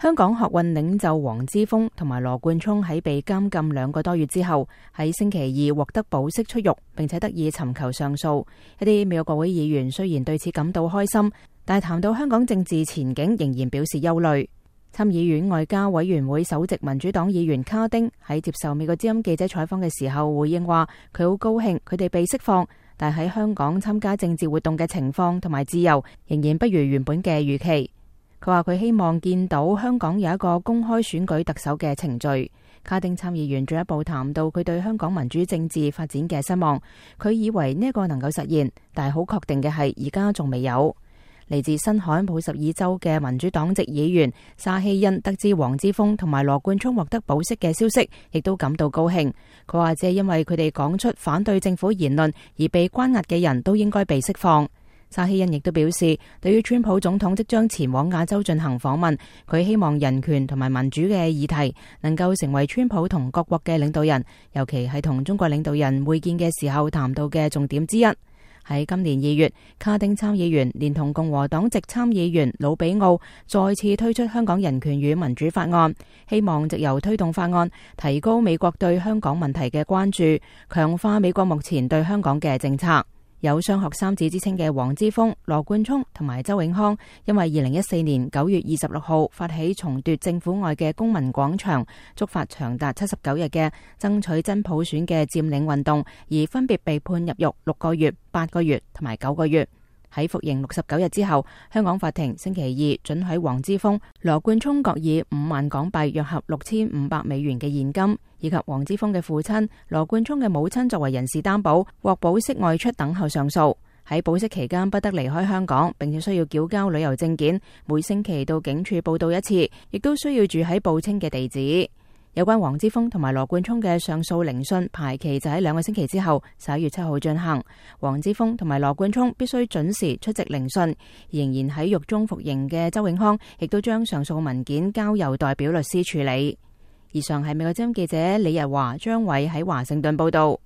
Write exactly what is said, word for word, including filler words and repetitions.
香港學運領袖黃之鋒同埋羅冠聰喺被監禁兩個多月之後，喺星期二獲得保釋出獄，並且得以尋求上訴。一啲美國國會議員雖然對此感到開心，但係談到香港政治前景，仍然表示憂慮。參議院外交委員會首席民主黨議員卡丁喺接受美國之音記者採訪嘅時候回應話，佢好高興佢哋被釋放，但喺香港參加政治活動嘅情況同埋自由仍然不如原本嘅預期。佢話佢希望見到香港有一個公開選舉特首嘅程序。卡丁參議員進一步談到佢對香港民主政治發展嘅失望，佢以為呢一個能夠實現，但係好確定嘅係而家仲未有。嚟自新罕布什爾州嘅民主黨籍議員沙希恩得知黃之鋒同埋羅冠聰獲得保釋嘅消息，亦都感到高興。佢話只係因為佢哋講出反對政府言論而被關押嘅人都應該被釋放。沙希恩亦都表示，對於川普總統即將前往亞洲進行訪問，佢希望人權同埋民主嘅議題能夠成為川普同各國嘅領導人，尤其係同中國領導人會見嘅時候談到嘅重點之一。喺今年二月，卡丁參議員連同共和黨籍參議員魯比奧再次推出香港人權與民主法案，希望藉由推動法案提高美國對香港問題嘅關注，強化美國目前對香港嘅政策。有雙學三子之稱嘅黃之鋒、羅冠聰同埋周永康，因為二零一四年九月二十六號發起重奪政府外嘅公民廣場，觸發長達七十九日嘅爭取真普選嘅佔領運動，而分別被判入獄六個月、八個月同埋九個月。喺服刑六十九日之後，香港法庭星期二准許黃之鋒、羅冠聰各以五萬港幣約合六千五百美元嘅現金，以及黃之鋒嘅父親、羅冠聰嘅母親作為人事擔保，獲保釋外出等候上訴。喺保釋期間不得離開香港，並且需要繳交旅遊證件，每星期到警署報到一次，亦都需要住喺報稱嘅地址。有關黃之鋒同埋羅冠聰嘅上訴聆訊排期就喺兩個星期之後，十一月七號進行。黃之鋒同埋羅冠聰必須準時出席聆訊，仍然喺獄中服刑嘅周永康亦都將上訴文件交由代表律師處理。以上係美國之音記者李日華、張偉喺華盛頓報道。